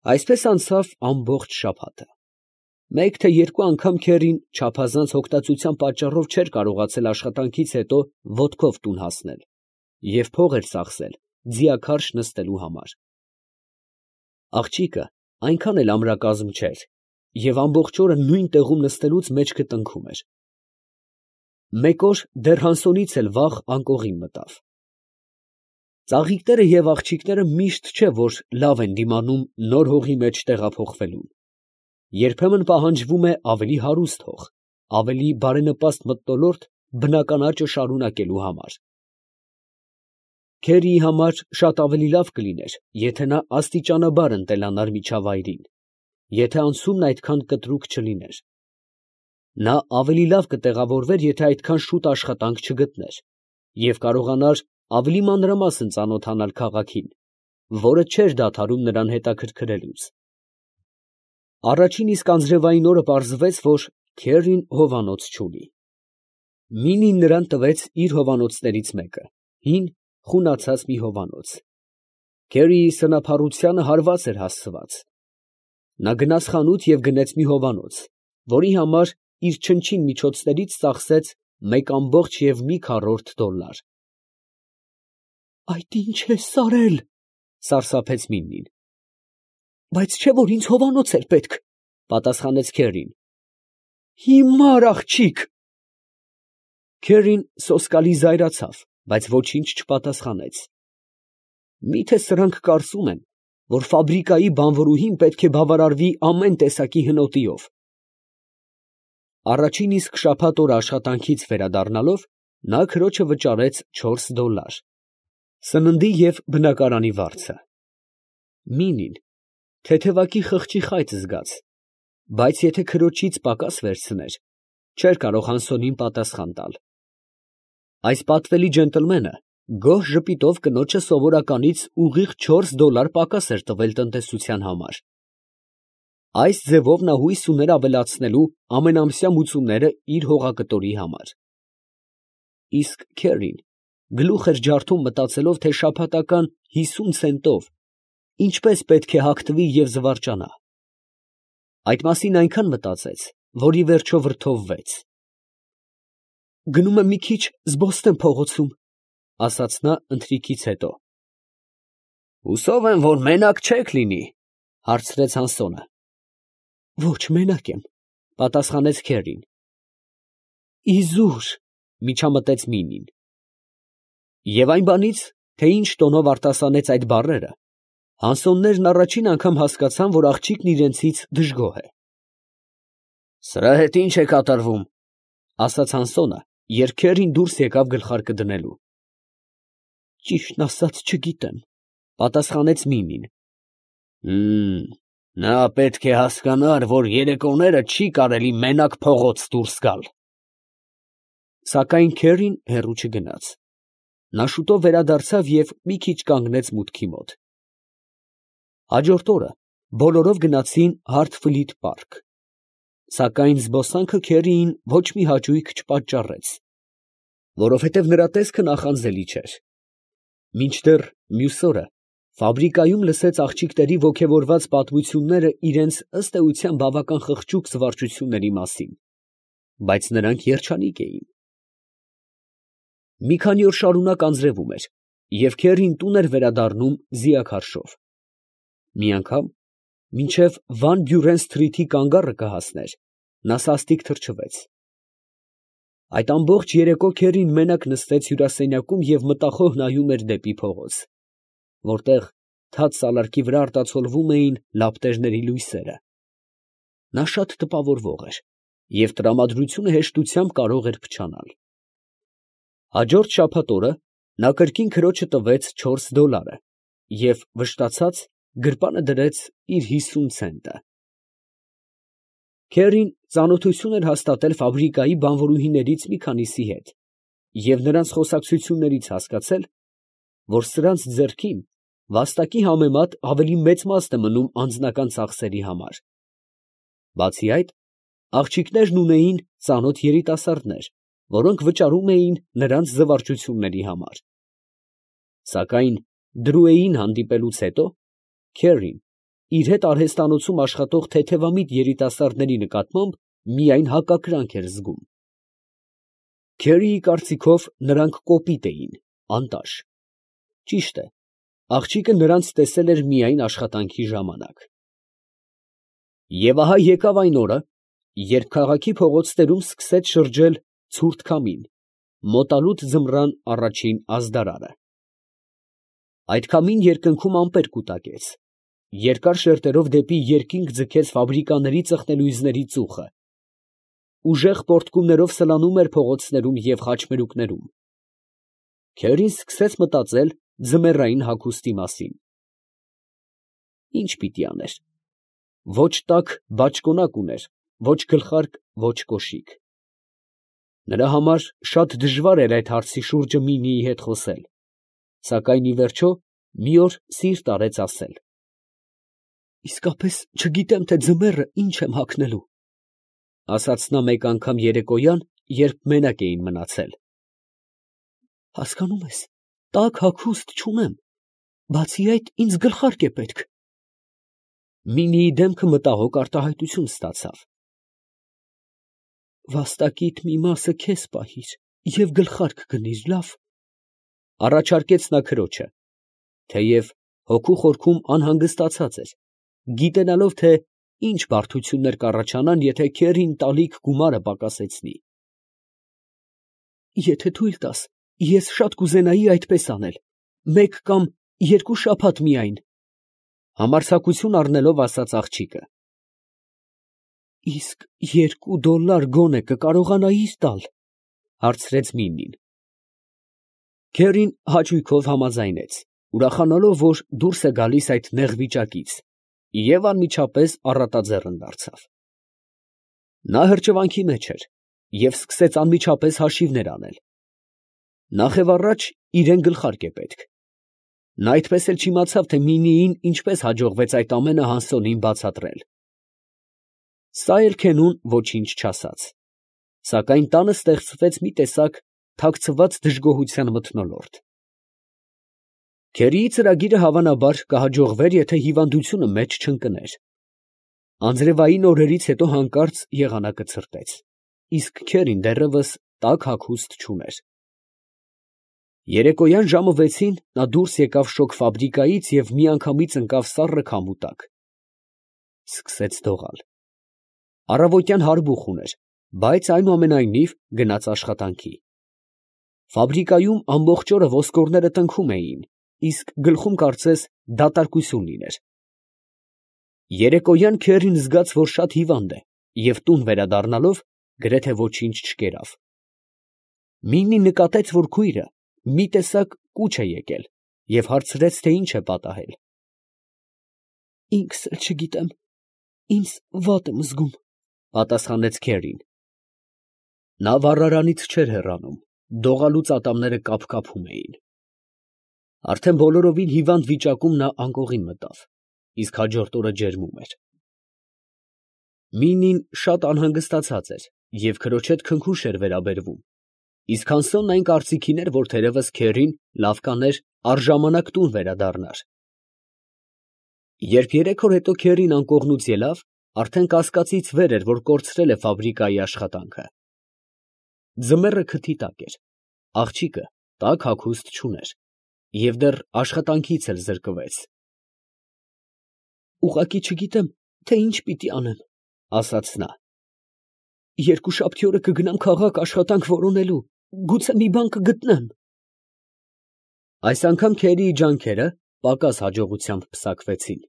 Այսպես անցավ ամբողջ շաբաթը։ Մեկ թե երկու անգամ քերին չափազանց հոգտածության պատճառով չէր կարողացել աշխատանքից հետո ոտքով տուն հասնել և փող էր ծախսել ձիաքարշ նստելու համար։ Աղջիկը այնքան էլ ամրակազմ չէր և ամբողջ օրը նույն տեղում նստելուց մեջքը տնքում էր։ Մեկ օր դեռ Հանսոնից էլ վաղ անկողին մտավ։ Ծաղիկները և աղջիկները միշտ չէ, որ լավ են դիմանում նոր հողի մեջ տեղափոխվելուն. երբեմն պահանջվում է ավելի հարուստ հող, ավելի բարենպաստ մթնոլորտ բնական աճը շարունակելու համար։ Քերիի համար շատ ավելի լավ կլիներ, եթե նա աստիճանաբար ընտելանար միջավայրին, եթե անցումն այդքան կտրուկ չլիներ։ Նա ավելի լավ կտեղավորվեր, եթե այդքան շուտ աշխատանք չգտներ և կարողանար ավելի մանրամասն ծանոթանալ քաղաքին, որը չէր դադարում նրան հետաքրքրելուց։ Առաջին իսկ անձրևային օրը պարզվեց, որ քերին հովանոց չունի։ Մինին նրան տվեց իր հովանոցներից մեկը, հին, խունացած մի հովանոց։ Քերիի սնափառությանը հարված էր հասցված։ Նա գնաց խանութ և գնեց մի հովանոց, որի համար իր չնչին միջոցներից ծախսեց $1,5 «Այդ ի՞նչ ես արել, ֊ սարսափեց Մինին։ ֊ Բայց չէ՞ որ ինձ հովանոց էր պետք, ֊ պատասխանեց քերին։ ֊ Հիմար աղջիկ։ Քերին սոսկալի զայրացավ, բայց ոչինչ չպատասխանեց։ Մի՞թե սրանք կարծում են, որ ֆաբրիկայի բանվորուհին պետք է բավարարվի ամեն տեսակի հնոտիով։ Առաջին իսկ շաբաթ օրը աշխատանքից վերադառնալով, նա քրոջը վճարեց $4, սննդի և բնակարանի վարձը։ Մինին թեթևակի խղճի խայծ զգաց, բայց եթե քրոջից պակաս վերցներ, չէր կարող Հանսոնին պատասխան տալ։ Այս պատվելի ջենտլմենը գոհ ժպիտով կնոջը սովորականից ուղիղ $4 պակաս էր տվել տնտեսության համար։ Այս ձևով նա հույս ուներ ավելացնելու ամենամսյա մուծումները իր հողակտորի համար։ Իսկ քերին գլուխ էր ջարդում մտածելով, թե շաբաթական 50 ցենտով ինչպես պետք է հագնվի և զվարճանա։ Այդ մասին այնքան մտածեց, որ ի վերջո վրդովվեց։ «Գնում եմ մի քիչ զբոսնեմ փողոցում, ֊ ասաց նա ընթրիքից հետո։ ֊ Հուսով եմ, որ մենակ չեք լինի, ֊ հարցրեց Հանսոնը։ ֊ Ոչ, մենակ եմ, ֊ պատասխանեց քերին։ ֊ Իզուր, ֊ միջամտեց Մինին։ Եվ այն բանից, թե ինչ տոնով արտասանեց այդ բառերը, Հանսոններն առաջին անգամ հասկացան, որ աղջիկն իրենցից դժգոհ է։ «Սրա հետ ի՞նչ է կատարվում, ֊ ասաց Հանսոնը, երբ քերին դուրս եկավ գլխարկը դնելու։ ֊ Ճիշտն ասած, չգիտեմ, ֊ պատասխանեց Մինին։ Նա պետք է հասկանար, որ երեկոները չի կարելի մենակ փողոց դուրս գալ։ Սակայն քերին հեռու չգնաց։ Նա շուտով վերադարձավ և մի քիչ կանգնեց մուտքի մոտ։ Հաջորդ օրը բոլորով գնացին Հարթֆլիթ պարկ, սակայն զբոսանքը քերիին ոչ մի հաճույք չպատճառեց, որովհետև նրա տեսքը նախանձելի չէր։ Մինչդեռ մյուս օրը ֆաբրիկայում լսեց աղջիկների ոգևորված պատմությունները իրենց ըստ էության բավական խղճուկ զվարճությունների մասին, բայց նրանք երջանիկ էին։ Մի քանի օր շարունակ անձրևում էր, և քերին տուն էր վերադառնում ձիաքարշով։ Մի անգամ, մինչև Վան Բյուրեն սթրիթի կանգառը կհասներ, նա սաստիկ թրջվեց։ Այդ ամբողջ երեկո քերին մենակ նստեց հյուրասենյակում և մտախոհ նայում էր դեպի փողոց, որտեղ թաց սալարկի վրա արտացոլվում էին լապտերների լույսերը։ Նա շատ տպավորվող էր և տրամադրությունը հեշտությամբ կարող էր փչանալ։ Հաջորդ շաբաթ օրը նա կրկին քրոջը տվեց $4 և վշտացած գրպանը դրեց իր 50 ցենտը։ Քերին ծանոթություն էր հաստատել ֆաբրիկայի բանվորուհիներից մի քանիսի հետ և նրանց խոսակցություններից հասկացել, որ սրանց ձեռքին վաստակի համեմատ ավելի մեծ մասն է մնում անձնական ծախսերի համար։ Բացի այդ, աղջիկներն ունեին ծանոթ երիտասարդներ, որոնք վճարում էին նրանց զվարճությունների համար։ Սակայն Դրուեին հանդիպելուց հետո քերին իր հետ արհեստանոցում աշխատող թեթևամիտ երիտասարդների նկատմամբ միայն հակակրանք էր զգում։ Քերիի կարծիքով նրանք կոպիտ էին, անտաշ։ Ճիշտ է, աղջիկը նրանց տեսել էր միայն աշխատանքի ժամանակ։ Եվ ահա եկավ այն օրը, երբ քաղաքի փողոցներում սկսեց շրջել ցուրտ քամին, մոտալուտ ձմռան առաջին ազդարարը։ Այդ քամին երկնքում ամպեր կուտակեց, երկար շերտերով դեպի երկինք ձգեց ֆաբրիկաների ծխնելույզների ծուխը, ուժեղ պոռթկումներով սլանում էր փողոցներում և խաչմերուկներում։ Քերին սկսեց մտածել ձմեռային հագուստի մասին։ Ինչ պիտի աներ։ Ոչ տաք բաճկոնակ ուներ, ոչ գլխարկ, ոչ կոշիկ։ Նրա համար շատ դժվար էր այդ հարցի շուրջը Մինիի հետ խոսել, սակայն ի վերջո մի օր սիրտ արեց ասել. «Իսկապես չգիտեմ, թե ձմեռը ինչ եմ հագնելու», ֊ ասաց նա մեկ անգամ երեկոյան, երբ մենակ էին մնացել։ «Հասկանում ես, տաք հագուստ չունեմ, բացի այդ ինձ գլխարկ է պետք»։ Մինիի դեմքը մտահոգ արտահայտություն ստացավ։ «Վաստակիդ մի մասը քեզ պահիր և գլխարկ գնիր, լավ, ֊ առաջարկեց նա քրոջը, թեև հոգու խորքում անհանգստացած էր, գիտենալով, թե ինչ բարդություններ կառաջանան, եթե Քերին տալիք գումարը պակասեցնի։ Եթե թույլ տաս, ես շատ կուզենայի այդպես անել, մեկ կամ երկու շաբաթ միայն, ֊ համարձակություն առնելով ասաց աղջիկը։ Իսկ $2 գոնե կկարողանայիր տալ, ֊ հարցրեց Միմին։ Քերին հաճույքով համաձայնեց, ուրախանալով, որ դուրս է գալիս այդ նեղ վիճակից, և անմիջապես առատաձեռն դարձավ։ Նա հրճվանքի մեջ էր և սկսեց անմիջապես հաշիվներ անել։ Նախևառաջ իրան գլխարկ է պետք։ Նա այդպես էլ չիմացավ, թե Մինիին ինչպես հաջողվեց այդ ամենը Հանսոնին բացատրել։ Սա էլ քենուն ոչինչ չասաց, սակայն տանը ստեղծվեց մի տեսակ թաքցված դժգոհության մթնոլորտ։ Քերիի ծրագիրը հավանաբար կհաջողվեր, եթե հիվանդությունը մեջ չընկներ։ Անձրևային օրերից հետո հանկարծ եղանակը ցրտեց, իսկ Քերին դեռևս տաք հագուստ չուներ։ Երեկոյան ժամը 6-ին նա դուրս եկավ շոգ ֆաբրիկայից և միանգամից ընկավ սառը քամու տակ։ Սկսեց դողալ։ Առավոտյան հարբուխ ուներ, բայց այնուամենայնիվ գնաց աշխատանքի։ Ֆաբրիկայում ամբողջ օրը ոսկորները տնքում էին, իսկ գլխում կարծես դատարկություն լիներ։ Երեկոյան Քերին զգաց, որ շատ հիվանդ է, և տուն վերադառնալով գրեթե ոչինչ չկերավ։ Մինին նկատեց, որ քույրը մի տեսակ կուչ է եկել, և հարցրեց, թե ինչ է պատահել։ Ինքս էլ չգիտեմ, ինձ վատ եմ զգում, ֊ պատասխանեց Քերին։ Նա վառարանից չէր հեռանում, դողալուց ատամները կափկափում էին։ Արդեն բոլորովին հիվանդ վիճակում նա անկողին մտավ, իսկ հաջորդ օրը ջերմում էր։ Մինին շատ անհանգստացած էր և քրոջ հետ քնքուշ էր վերաբերվում, իսկ Հանսոնն այն կարծիքին էր, որ թերևս Քերին լավ կաներ առժամանակ տուն վերադառնար։ Երբ 3 օր հետո Քերին անկողնուց ելավ, արդեն կասկածից վեր էր, որ կորցրել է ֆաբրիկայի աշխատանքը։ Ձմեռը քթի տակ էր, աղջիկը տաք հագուստ չուներ և դեռ աշխատանքից էլ զրկվեց։ Ուղղակի չգիտեմ, թե ինչ պիտի անեմ, ֊ ասաց նա։ Երկուշաբթի օրը կգնամ քաղաք աշխատանք որոնելու, գուցե մի բան կգտնեմ։ Այս անգամ Քերիի ջանքերը պակաս հաջողությամբ պսակվեցին։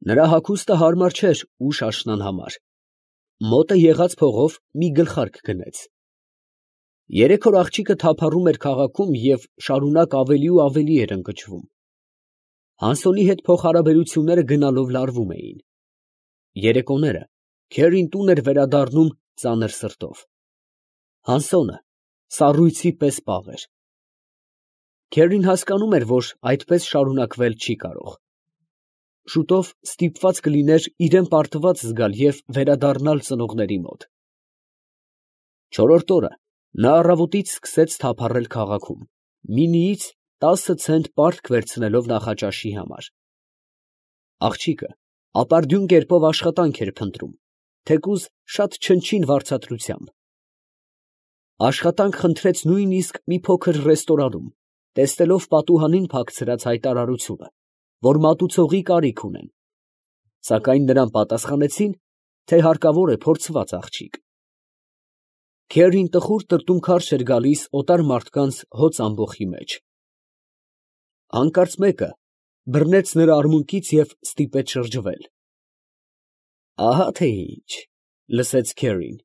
Նրա հագուստը հարմար չէր ուշ աշնան համար։ Մոտը եղած փողով մի գլխարկ գնեց։ 3 օր աղջիկը թափառում էր քաղաքում և շարունակ ավելի ու ավելի էր ընկճվում։ Հանսոնի հետ փոխհարաբերությունները գնալով լարվում էին։ Երեկոները Քերին տուն էր վերադառնում ծանր սրտով։ Հանսոնը սառույցի պես պաղ էր։ Քերին հասկանում էր, որ այդպես շարունակվել չի կարող։ Շուտով ստիպված կլիներ իրան պարտված զգալ և վերադառնալ ծնողների մոտ։ Չորրորդ օրը նա առավոտից սկսեց թափառել քաղաքում, Մինիից 10 ցենտ պարտք վերցնելով նախաճաշի համար։ Աղջիկը ապարդյուն կերպով աշխատանք էր փնտրում, թեկուզ շատ չնչին վարձատրությամբ։ Աշխատանք խնդրեց նույնիսկ մի փոքր ռեստորանում, տեսնելով պատուհանին փակցրած հայտարարությունը, որ մատուցողի կարիք ունեն, սակայն նրան պատասխանեցին, թե հարկավոր է փորձված աղջիկ։ Քերին տխուր տրտունքարշ էր գալիս օտար մարդկանց հոծ ամբոխի մեջ։ Հանկարծ մեկը բռնեց նրա արմունկից և ստիպեց շրջվել։ Ահա թե ինչ, լսեց Քերին։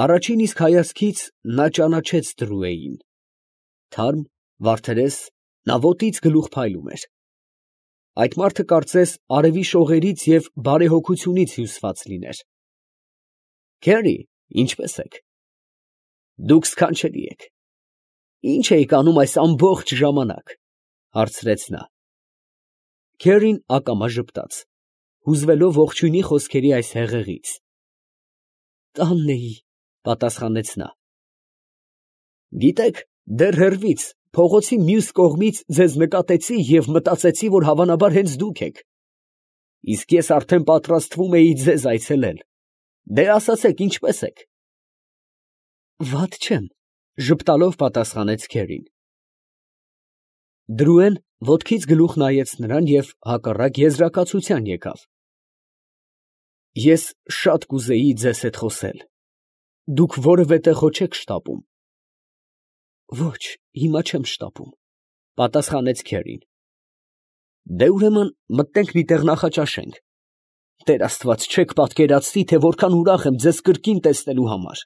Առաջին իսկ հայացքից նա ճանաչեց Դրուեին։ Թարմ, վարդերես, նա ոտից գլուխ փայլում էր։ Այդ մարդը կարծես արևի շողերից և բարեհոգությունից հյուսված լիներ։ Քերի, ինչպե՞ս եք։ Դուք սքանչելի եք։ Ի՞նչ էիք անում այս ամբողջ ժամանակ, հարցրեց նա։ Քերին ակամա ժպտաց, հուզվելով ողջույնի խոսքերի այս հեղեղից։ Տանն էի, պատասխանեց նա։ Գիտեք, դեռ հեռվից, փողոցի մյուս կողմից ձեզ նկատեցի և մտածեցի, որ հավանաբար հենց դուք եք։ Իսկ ես արդեն պատրաստվում էի ձեզ այցելել։ Դե ասացեք, ինչպե՞ս եք։ Վատ չեմ, ժպտալով պատասխանեց Քերին։ Դրուեն ոտքից գլուխ նայեց նրան և հակառակ եզրակացության եկավ։ Ես շատ կուզեի ձեզ հետ խոսել։ Դուք որևէ տեղո չեք շտապում։ Ոչ, հիմա չեմ շտապում, պատասխանեց Քերին։ Դե ուրեմն մտնենք մի տեղ նախաճաշենք։ Տեր Աստված, չեք պատկերացնի, թե որքան ուրախ եմ ձեզ կրկին տեսնելու համար։